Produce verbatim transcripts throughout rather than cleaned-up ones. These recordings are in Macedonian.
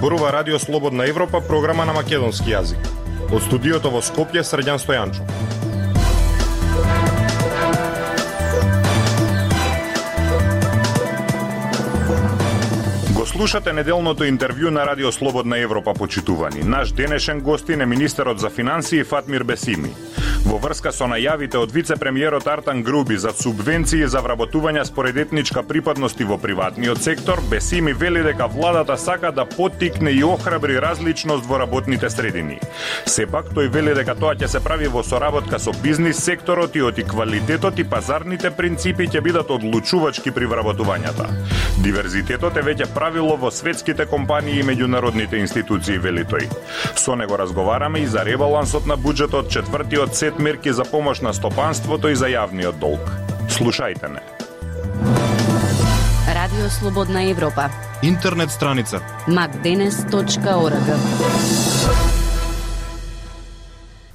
Зборува Радио Слободна Европа, програма на македонски јазик. Од студиото во Скопје, Срđan Стојанчов. Го слушате неделното интервју на Радио Слободна Европа, почитувани. Наш денешен гостин е министерот за финансии Фатмир Бесими. Во врска со најавите од вице-премиерот Артан Груби за субвенции за вработување според етничка припадност во приватниот сектор, Бесими вели дека владата сака да поттикне и охрабри различност во работните средини. Сепак, тој вели дека тоа ќе се прави во соработка со бизнис секторот и оти квалитетот и пазарните принципи ќе бидат одлучувачки при вработувањата. Диверзитетот е веќе правило во светските компании и меѓународните институции, вели тој. Со него разговараме и за ребалансот на буџетот, четвртиот сет мерки за помош на стопанството и за јавниот долг. Слушајте не. Радио Слободна Европа. Интернет страница макденес точка орг.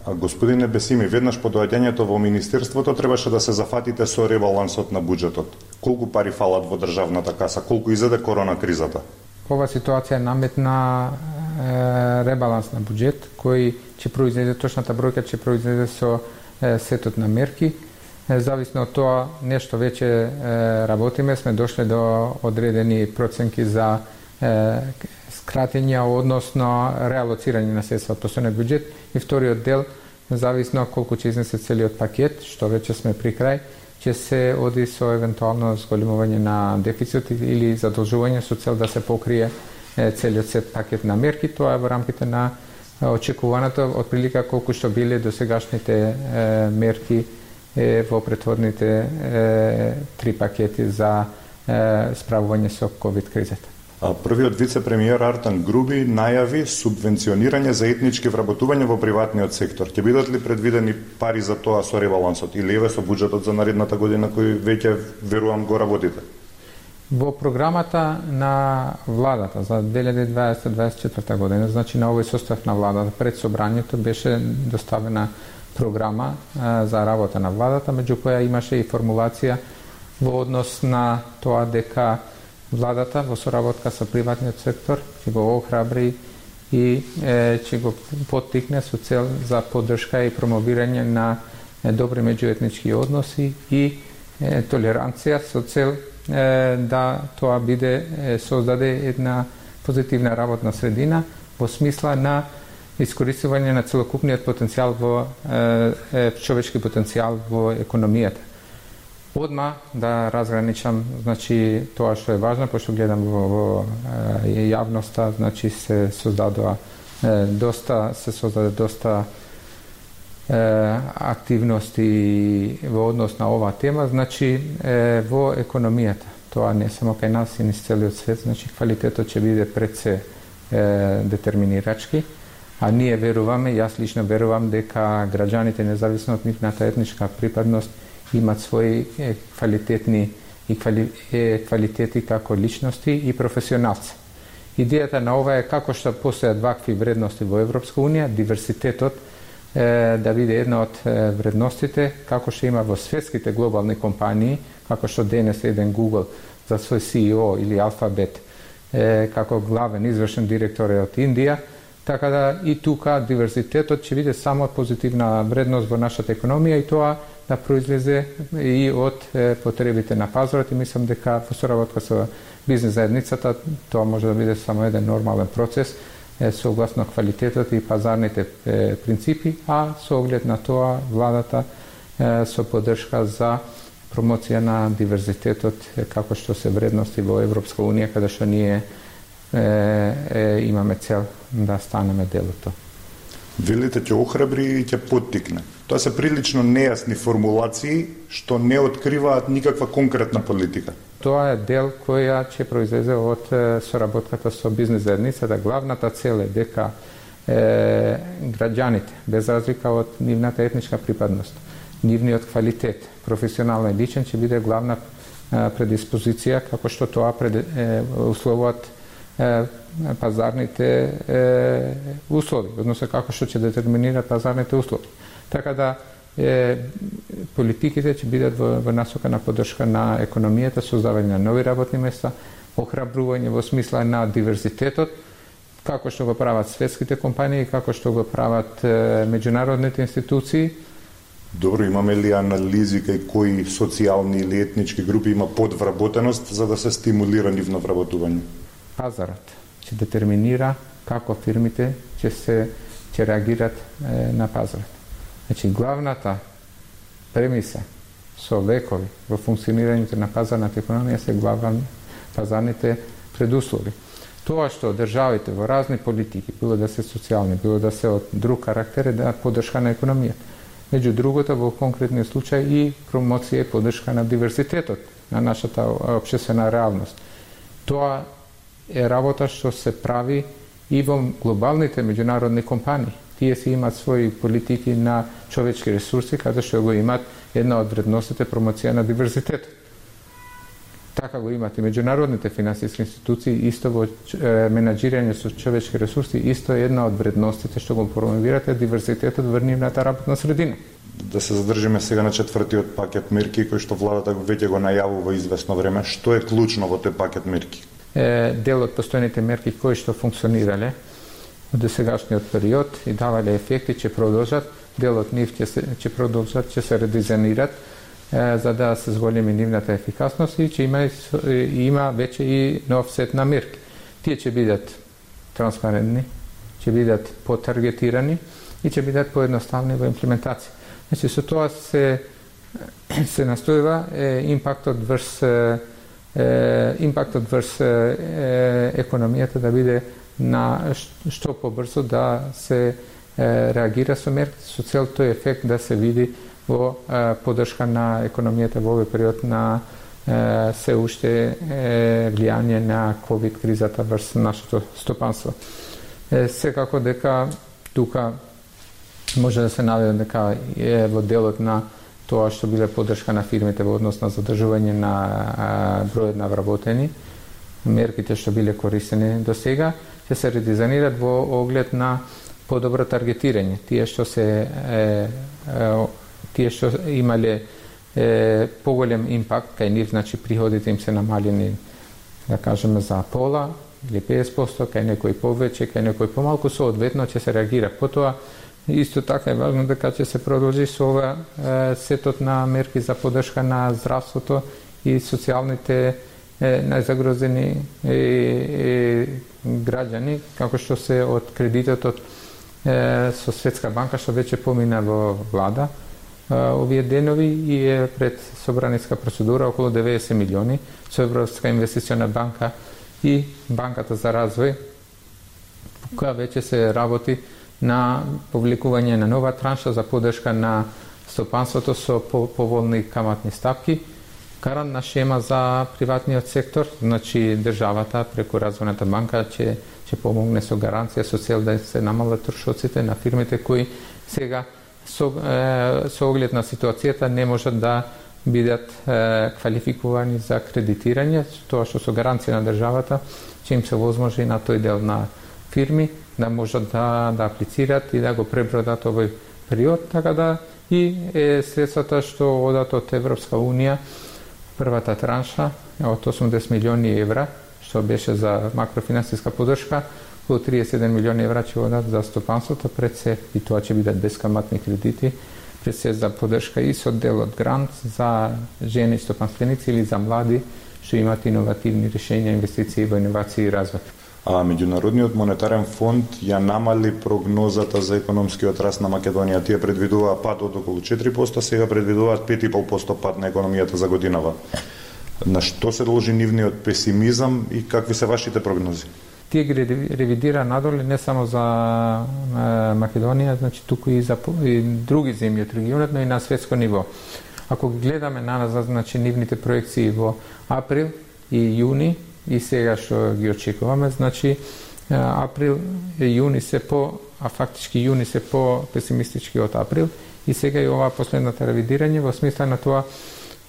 А господине Бесими, веднаш по доаѓањето во министерството требаше да се зафатите со ребалансот на буџетот. Колку пари фалат во државната каса? Колку изеде корона кризата? Ова ситуација наметна е, ребаланс на буџет кој ќе произведе точната бројка, ќе произведе со е, сетот на мерки. Е, зависно од тоа нешто веќе е, работиме, сме дошле до одредени проценки за е, скратења, односно реалоцирање на средства од постојниот буџет, и вториот дел, зависно колку ќе изнесе целиот пакет, што веќе сме при крај, ќе се оди со евентуално зголемување на дефицит или задолжување со цел да се покрие е, целиот сет пакет на мерки. Тоа е во рамките на очекуваното од прилика колку што биле досегашните е, мерки е, во претходните е, три пакети за е, справување со ковид кризата. А првиот вице-премиер Артан Груби најави субвенционирање за етнички вработување во приватниот сектор. Ќе бидат ли предвидени пари за тоа со ребалансот или еве со буџетот за наредната година кој веќе верувам го работите? Во програмата на владата за две илјади и дваесетта - дваесет и четврта година, значи на овој состав на владата, пред собранието беше доставена програма а, за работа на владата, меѓу која имаше и формулација во однос на тоа дека владата во соработка со приватниот сектор ќе го охрабри и е, ќе го поттикне со цел за поддршка и промовирање на е, добри меѓуетнички односи и е, толеранција со цел е, да тоа биде е, создаде една позитивна работна средина во смисла на искористување на целокупниот потенцијал во е, е, човечки потенцијал во економијата. Одма да разграничам, значи тоа што е важно, пошто гледам во, во е, јавноста, значи се создадоа е, доста се создаде доста е, активности во однос на оваа тема, значи е, во економијата. Тоа не само кај нас и низ целиот свет, значи квалитетот ќе биде пред се е, детерминирачки, а ние веруваме, јас лично верувам дека граѓаните, независно од нивната етничка припадност, имат своји е, квалитетни и квали, е, квалитети како личности и професионалци. Идејата на ова е како што постојат вакви вредности во Европска унија, диверситетот е, да биде една од е, вредностите, како што има во светските глобални компании, како што денес еден Google за свој Си И О или Алфабет, е, како главен извршен директор е од Индија, така да и тука диверситетот ќе биде само позитивна вредност во нашата економија и тоа да произлезе и од е, потребите на пазарот, и мислам дека во соработка со бизнес заедницата тоа може да биде само еден нормален процес е, согласно квалитетот и пазарните е, принципи, а со оглед на тоа владата е, со поддршка за промоција на диверзитетот е, како што се вредности во Европска унија, каде што ние е, е, имаме цел да станеме дел од тоа. Велите ќе охрабри и ќе поттикне. Тоа се прилично нејасни формулации што не откриваат никаква конкретна политика. Тоа е дел која ќе произлезе од е, соработката со бизнес заедницата. Главната цел е дека е, граѓаните, без разлика од нивната етничка припадност, нивниот квалитет, професионален и личен, ќе биде главна е, предиспозиција, како што тоа пред, е, условуваат е, пазарните е, услови, односно како што ќе детерминираат пазарните услови. Така да е, политиките ќе бидат во, во насока на поддршка на економијата, создавање на нови работни места, охрабрување во смисла на диверзитетот, како што го прават светските компании, како што го прават е, меѓународните институции. Добро, имаме ли анализи кај кои социјални или етнички групи има подвработеност за да се стимулира нивно вработување? Пазарот ќе детерминира како фирмите ќе се ќе реагират е, на пазарот. Значи главната премиса со векови во функционирањето на пазарната економија се главни пазарните предуслови. Тоа што државите во разни политики, било да се социјални, било да се од друг карактер, е да поддршка на економијата. Меѓу другото, во конкретниот случај и промоција и поддршка на диверзитетот на нашата општествена реалност. Тоа е работа што се прави и во глобалните меѓународни компании. Тие си имаат своји политики на човечки ресурси, каде што го имаат една од вредностите промоција на диверзитетот. Така го имат и меѓународните финансиски институции, исто во менаџирање со човечки ресурси, исто е една од вредностите што го промовирате диверзитетот во нивната работна средина. Да се задржиме сега на четвртиот пакет мерки кој што владата веќе го најавува известно време. Што е клучно во тој пакет мерки? Е, дел од постојните мерки кои што функционирале од досегашниот период и давале ефекти ќе продолжат, дел од нив ќе се ќе продолжат, ќе се редизајнират за да се зголеми нивната ефикасност и ќе има, има веќе и нов сет на мерки. Тие ќе бидат транспарентни, ќе бидат потаргетирани и ќе бидат поедноставни во имплементација. Значи, со тоа се, се настојува е, импактот врз, е, импактот врз е, економијата да биде на што побрзо да се е, реагира со мерки, со цел тој ефект да се види во е, поддршка на економијата во овој период на е, се уште е, влијание на ковид кризата врз нашето стопанство. Е, секако дека тука може да се наведе дека е во делот на тоа што биле поддршка на фирмите во однос на задржување на а, бројот на вработени, мерките што биле користени до сега, ќе се редизајнираат во оглед на подобро таргетирање. Тие што се е, е, тие што имале е, поголем импакт кај нив, значи приходите им се намалени, да кажеме, за пола или педесет проценти, кај некој повеќе, кај некој помалку, соодветно ќе се реагира. Потоа исто така е важно дека ќе се продолжи со ова е, сетот на мерки за поддршка на здравството и социјалните е, најзагрозени е, е, граѓани, како што се од кредитот е, со Светска банка што веќе помина во влада е, овие денови и е пред собраниска процедура околу деветдесет милиони со Европска инвестициона банка и Банката за развој, која веќе се работи на повлекување на нова транша за поддршка на стопанството со поволни каматни стапки, гарантна шема за приватниот сектор, значи државата преку Развојната банка ќе ќе помогне со гаранција со цел да се намалат трошоците на фирмите кои сега со, е, со оглед на ситуацијата не можат да бидат е, квалификувани за кредитирање, тоа што со гаранција на државата ќе им се возможи на тој дел на фирми да можат да, да аплицират и да го пребродат овој период, така да и е, средствата што одат од Европска Унија, првата транша од осумдесет милиони евра, што беше за макрофинансиска поддршка, околу триесет и еден милиони евра ќе одат за стопанството пред се, и тоа ќе бидат бескаматни кредити, пред се за поддршка и со дел од грант за жени стопанственици или за млади што имаат иновативни решенја, инвестиции во иновации и развој. А Меѓународниот монетарен фонд ја намали прогнозата за економскиот раст на Македонија. Тие предвидуваа пад од околу четири проценти, сега предвидуваат пет и пет проценти пад на економијата за годинава. На што се должи нивниот песимизам и какви се вашите прогнози? Тие ги ревидира надоле не само за Македонија, значи туку и за и други земји од регионот, но и на светско ниво. Ако ги гледаме наназад, значи нивните проекции во април и јуни, и сега што ги очекуваме, значи април и јуни се по, а фактички јуни се по песимистички од април, и сега и ова последната ревидирање во смисла на тоа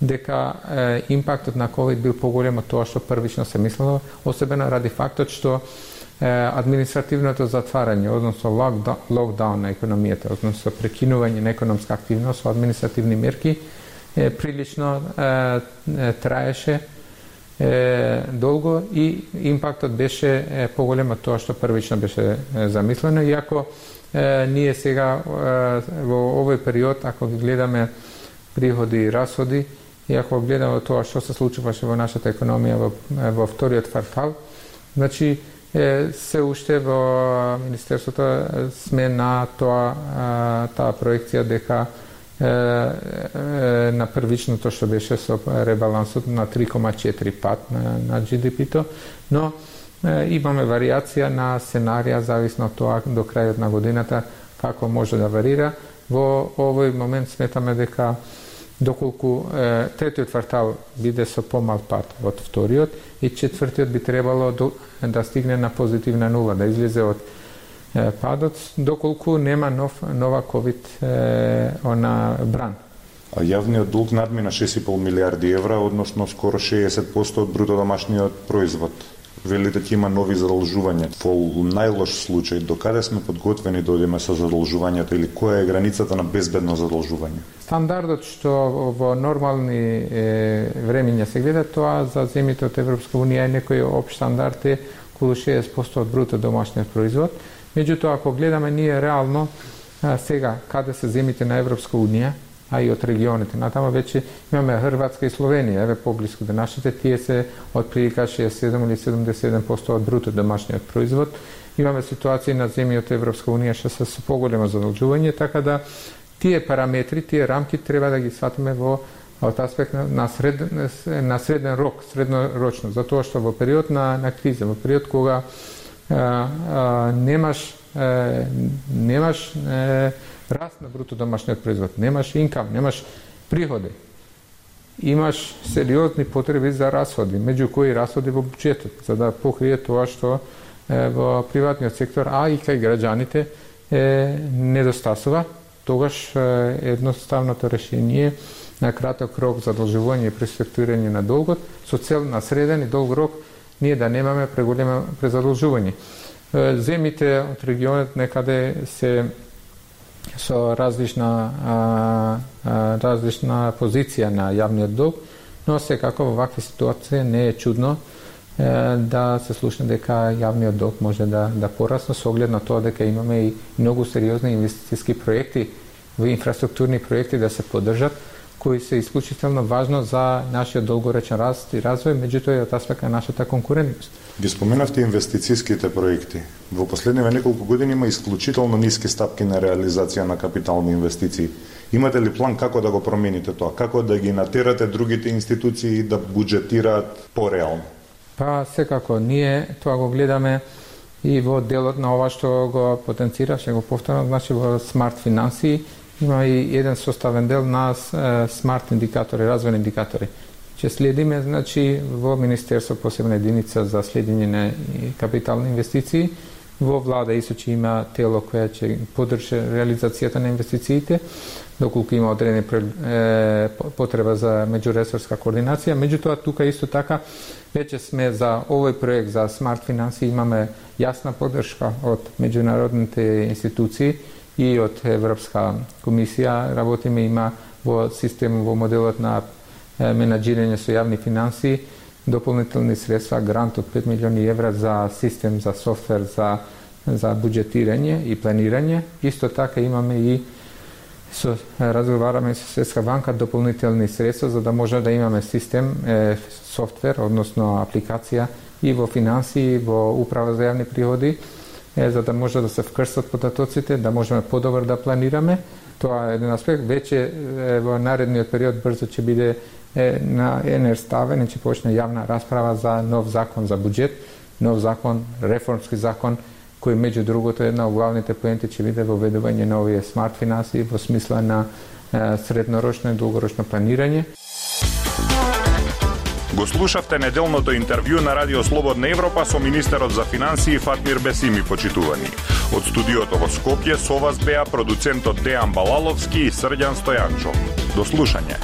дека е, импактот на ковид бил поголем од тоа што првично се мислело, особено ради фактот што е, административното затварање, односно локдаун на економијата, односно прекинување на економска активност со административни мерки, е, прилично е, е, траеше е, долго и импактот беше е, поголем од тоа што првично беше е, замислено, иако е, ние сега е, во овој период, ако ги гледаме приходи и расходи, и ако гледаме тоа што се случуваше во нашата економија во, во вториот квартал, значи е, се уште во Министерството сме на тоа таа проекција дека е, е, на првичното што беше со ребалансот на три кома четири пат на, на джи ди пи-то, но е, имаме варијација на сценарија зависно од тоа до крајот на годината како може да варира. Во овој момент сметаме дека доколку е, третиот квартал биде со помал пат од вториот и четвртиот би требало до, да стигне на позитивна нула, да излезе од е, падот, доколку нема нов, нова ковид е, она бран. А јавниот долг надмина шест и пол милиарди евра, односно скоро шеесет проценти од бруто домашниот производ. Велите ќе има нови задолжувања. Во најлош случај, докаде сме подготвени да одиме со задолжувањето или која е границата на безбедно задолжување? Стандардот што во нормални е, времиња се гледа, тоа за земјите од Европска унија е некој општ стандард е околу шеесет проценти од бруто домашниот производ. Меѓутоа, ако гледаме ние реално а, сега каде се земјите на Европска унија, а и од регионите. Натаму веќе имаме Хрватска и Словенија, еве поблиску до нашите, тие се од прилика шеесет и седум или седумдесет и седум проценти од бруто домашниот производ. Имаме ситуации на земји од Европска унија што се со поголемо задолжување, така да тие параметри, тие рамки треба да ги сватиме во од аспект на, на, сред, на среден рок, среднорочно, затоа што во период на, на криза, во период кога а, а, немаш а, немаш а, раст на бруто домашниот производ, немаш инкам, немаш приходи, имаш сериозни потреби за расходи, меѓу кои расходи во буџетот, за да покрие тоа што е, во приватниот сектор, а и кај граѓаните е, недостасува. Тогаш е, едноставното решение на краток рок задолжување и преструктурирање на долгот со цел на среден и долг рок ние да немаме преголемо презадолжување. Земите од регионот некаде се со различна а, а, различна позиција на јавниот долг, но секако во вакви ситуации не е чудно е, да се слушне дека јавниот долг може да да порасне со оглед на тоа дека имаме и многу сериозни инвестициски проекти, во инфраструктурни проекти да се поддржат, кои се исклучително важно за нашиот долгоречен раст и развој, меѓутоа и од аспект на нашата конкурентност. Ги споменавте инвестициските проекти. Во последниве неколку години има исклучително ниски стапки на реализација на капитални инвестиции. Имате ли план како да го промените тоа? Како да ги натерате другите институции да буџетираат пореално? Па секако, ние тоа го гледаме и во делот на ова што го потенцира, што го повторам, значи во смарт финансии има и еден составен дел на смарт индикатори, развојни индикатори. Че следиме, значи, во Министерство посебна единица за следење на капитални инвестиции, во влада исто че има тело кое ќе поддржи реализацијата на инвестициите, доколку има одредени потреба за меѓуресорска координација. Меѓутоа, тука исто така, веќе сме за овој проект за смарт финансии имаме јасна поддршка од меѓународните институции и од Европска комисија. Работиме има во систем, во моделот на менаџирање со јавни финансии, дополнителни средства, грант од пет милиони евра за систем, за софтвер, за, за буџетирање и планирање. Исто така имаме и со, разговараме со Светска банка дополнителни средства за да може да имаме систем, е, софтвер, односно апликација и во финансии, во управа за јавни приходи, е, за да може да се вкрсат податоците, да можеме подобро да планираме. Тоа е еден аспект. Веќе е, во наредниот период брзо ќе биде е, на енер ставен и ќе почне јавна расправа за нов закон за буџет, нов закон, реформски закон, кој меѓу другото една од главните поенти ќе биде воведување на овие смарт финансии во смисла на е, среднорочно и долгорочно планирање. Го слушавте неделното интервју на Радио Слободна Европа со министерот за финансии Фатмир Бесими, почитувани. Од студиото во Скопје со вас беа продуцентот Дејан Балаловски и Срđan Стојанчов. До слушање.